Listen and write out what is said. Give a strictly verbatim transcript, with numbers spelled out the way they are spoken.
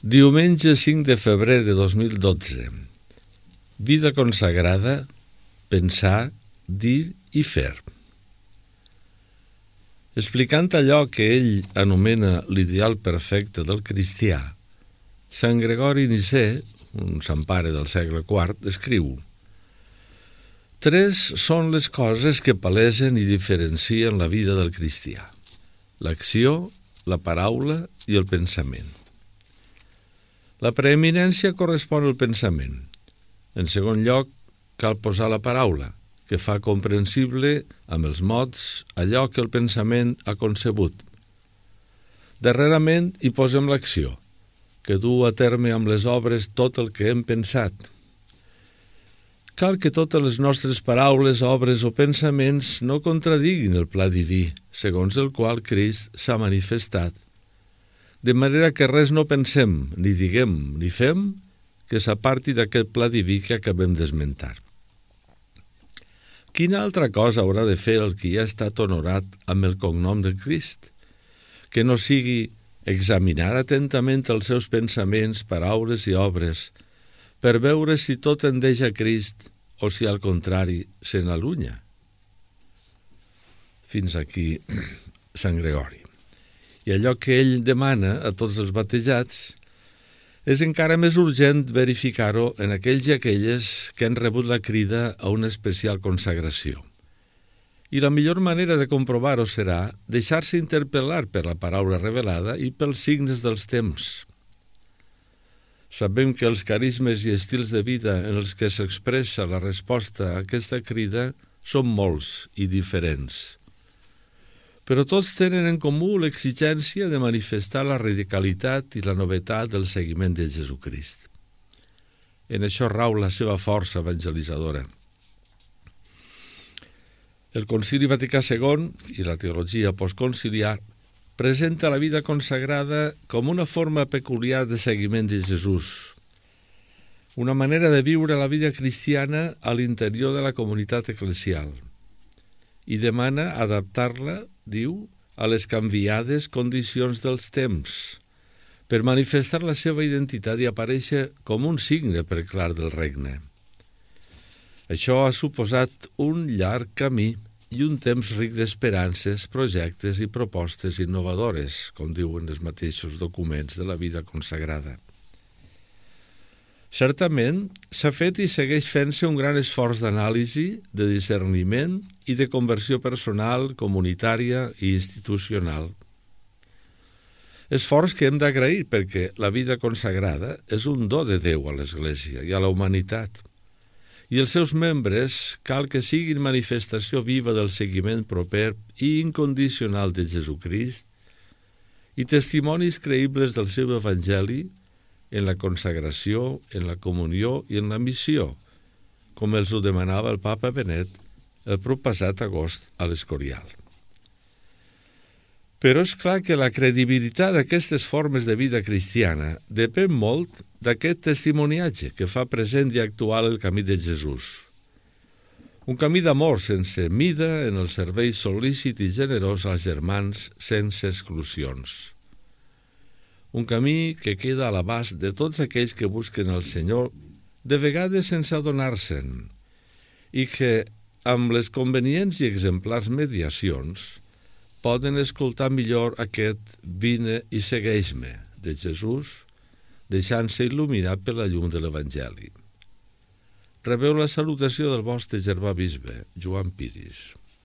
Diumenge cinc de febrer de dos mil dotze. Vida consagrada, pensar, dir i fer. Explicant allò que ell anomena l'ideal perfecte del cristià, Sant Gregori Nicè, un sant pare del segle quart, escriu: Tres són les coses que palesen i diferencien la vida del cristià: l'acció, la paraula i el pensament. La preeminència correspon al pensament. En segon lloc, cal posar la paraula, que fa comprensible amb els mots allò que el pensament ha concebut. Darrerament hi posem l'acció, que du a terme amb les obres tot el que hem pensat. Cal que totes les nostres paraules, obres o pensaments no contradiguin el pla diví, segons el qual Crist s'ha manifestat, de manera que res no pensem, ni diguem, ni fem, que s'aparti d'aquest pla diví que acabem d'esmentar. Quina altra cosa haurà de fer el qui ha estat honorat amb el cognom de Crist, que no sigui examinar atentament els seus pensaments, paraules i obres, per veure si tot tendeix a Crist o si al contrari se n'allunya? Fins aquí Sant Gregori. I allò que ell demana a tots els batejats és encara més urgent verificar-ho en aquells i aquelles que han rebut la crida a una especial consagració. I la millor manera de comprovar-ho serà deixar-se interpel·lar per la paraula revelada i pels signes dels temps. Sabem que els carismes i estils de vida en els que s'expressa la resposta a aquesta crida són molts i diferents, però tots tenen en comú l'exigència de manifestar la radicalitat i la novetat del seguiment de Jesucrist. En això rau la seva força evangelitzadora. El Concili Vaticà segon i la teologia postconciliar presenta la vida consagrada com una forma peculiar de seguiment de Jesús, una manera de viure la vida cristiana a l'interior de la comunitat eclesial, i demana adaptar-la, diu, a les canviades condicions dels temps, per manifestar la seva identitat i aparèixer com un signe preclar del regne. Això ha suposat un llarg camí i un temps ric d'esperances, projectes i propostes innovadores, com diuen els mateixos documents de la vida consagrada. Certament, s'ha fet i segueix fent-se un gran esforç d'anàlisi, de discerniment i de conversió personal, comunitària i institucional. Esforç que hem d'agrair perquè la vida consagrada és un do de Déu a l'Església i a la humanitat, i els seus membres cal que siguin manifestació viva del seguiment proper i incondicional de Jesucrist i testimonis creïbles del seu Evangeli en la consagració, en la comunió i en la missió, com els ho demanava el Papa Benet el proppassat agost a l'Escorial. Però és clar que la credibilitat d'aquestes formes de vida cristiana depèn molt d'aquest testimoniatge que fa present i actual el camí de Jesús. Un camí d'amor sense mida en el servei sol·lícit i generós als germans sense exclusions. Un camí que queda a l'abast de tots aquells que busquen el Senyor, de vegades sense adonar-se'n, i que, amb les convenients i exemplars mediacions, poden escoltar millor aquest «Vine i segueix-me» de Jesús, deixant-se il·luminar per la llum de l'Evangeli. Rebeu la salutació del vostre germà bisbe, Joan Piris.